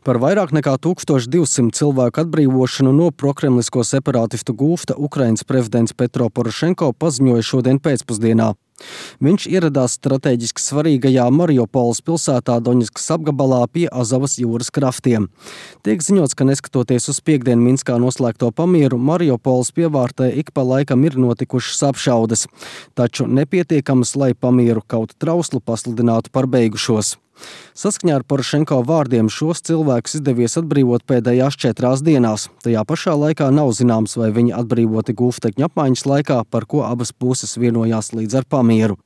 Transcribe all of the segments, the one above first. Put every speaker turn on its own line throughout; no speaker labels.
Par vairāk nekā 1200 cilvēku atbrīvošanu no prokremlisko separātistu gūfta Ukrainas prezidents Petro Porošenko paziņoja šodien pēcpusdienā. Viņš ieradās strateģiski svarīgajā Mariupoles pilsētā Doņetskas apgabalā pie Azovas jūras kraftiem. Tiek ziņots, ka neskatoties uz piekdien Minskā noslēgto pamieru, Mariupoles pievārtē ik pa laikam ir notikušas apšaudes, taču nepietiekamas, lai pamieru kaut trauslu pasludinātu par beigušos. Saskaņā ar Porošenko vārdiem šos cilvēkus izdevies atbrīvot pēdējās 4 dienās. Tajā pašā laikā nav zināms, vai viņi atbrīvoti gūstekņu apmaiņas laikā, par ko abas puses vienojās līdz ar pamieru.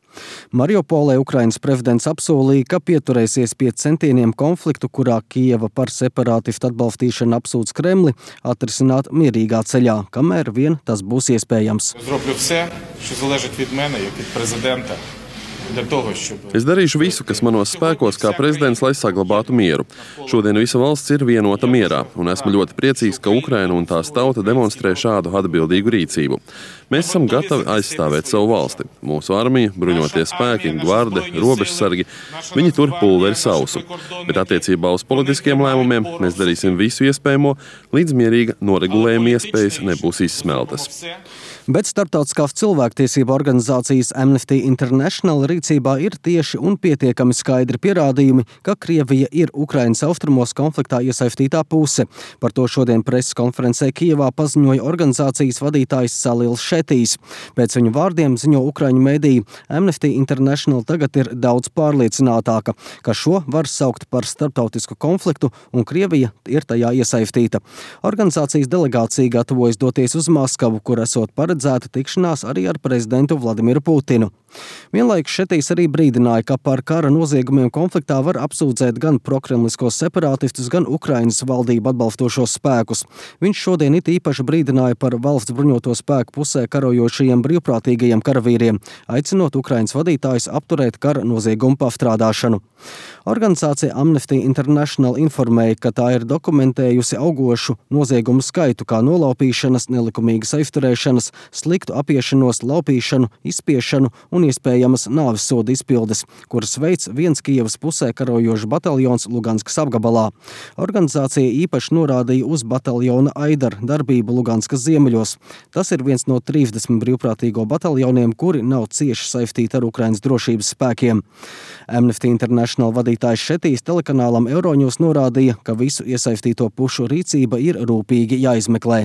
Mariupolē Ukrainas prezidents apsolīja, ka pieturēsies pie centieniem konfliktu, kurā Kijeva par separātistu atbalstīšanu apsūdz Kremli, atrisināt mierīgā ceļā, kamēr vien tas būs iespējams.
Es darīšu visu, kas manos spēkos kā prezidents, lai saglabātu mieru. Šodien visa valsts ir vienota mierā, un esmu ļoti priecīgs, ka Ukraina un tās tauta demonstrē šādu atbildīgu rīcību. Mēs esam gatavi aizstāvēt savu valsti. Mūsu armija, bruņotie spēki, gvarde, robežsargi, viņi tur pulveri sausu. Bet attiecībā uz politiskiem lēmumiem mēs darīsim visu iespējamo, līdz mierīga noregulējuma iespējas nebūs izsmeltas.
Bet starptautiskās cilvēktiesība organizācijas Amnesty International rīcībā ir tieši un pietiekami skaidri pierādījumi, ka Krievija ir Ukrainas austrumos konfliktā iesaistītā puse. Par to šodien preses konferencē Kijevā paziņoja organizācijas vadītājs Salils Šetijs. Pēc viņu vārdiem ziņo ukraiņu mediji, Amnesty International tagad ir daudz pārliecinātāka, ka šo var saukt par starptautisku konfliktu un Krievija ir tajā iesaistīta. Organizācijas delegācija gatavojas doties uz Maskavu, kur esot paredzēta tikšanās arī ar prezidentu Vladimiru Putinu. Vienlaikus Šetijs arī brīdināja, ka par kara noziegumiem konfliktā var apsūdzēt gan prokremliskos separātistus, gan Ukrainas valdību atbalstošos spēkus. Viņš šodien it īpaši brīdināja par valsts bruņoto spēku pusē karojošajiem brīvprātīgajiem karavīriem, aicinot Ukrainas vadītājus apturēt kara noziegumu pastrādāšanu. Organizācija Amnesty International informēja, ka tā ir dokumentējusi augošu noziegumu skaitu, kā nolaupīšanas, nelikumīgas aizturēšanas, sliktu apiešanos, laupīšanu, izspiešanu un iespējamas nāves soda izpildes, kuras veids viens Kijevas pusē karojošs bataljons Luganskas apgabalā. Organizācija īpaši norādīja uz bataljona Aidar darbību Luganskas ziemeļos. Tas ir viens no 30 brīvprātīgo bataljoniem, kuri nav cieši saistīti ar Ukrainas drošības spēkiem. Amnesty International vadītājs Šetijs telekanālam Euronews norādīja, ka visu iesaistīto pušu rīcība ir rūpīgi jāizmeklē.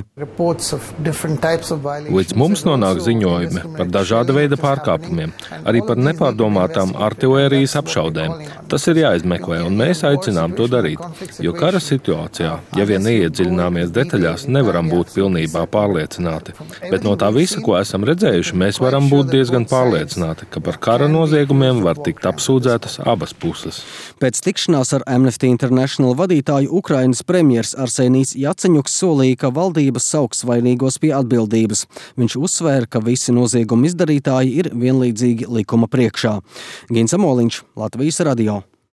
Līdz mums nonāk ziņojumi par dažāda veida pārkāpumiem, arī par nepārdomātām artilērijas apšaudēm. Tas ir jāizmeklē, un mēs aicinām to darīt, jo kara situācijā, ja vien neiedziļināmies detaļās, nevaram būt pilnībā pārliecināti. Bet no tā visa, ko esam redzējuši, mēs varam būt diezgan pārliecināti, ka par kara noziegumiem var tikt apsūdzētas abas puses.
Pēc tikšanās ar Amnesty International vadītāju Ukrainas premjers Arsenijs Jaceņuks solīja, ka valdība sauks vainīgos pie atbildības. Viņš uzsvēra, ka visi noziegumu izdarītāji ir vienlīdzīgi likuma priekšā. Gins Amoliņš, Latvijas radio.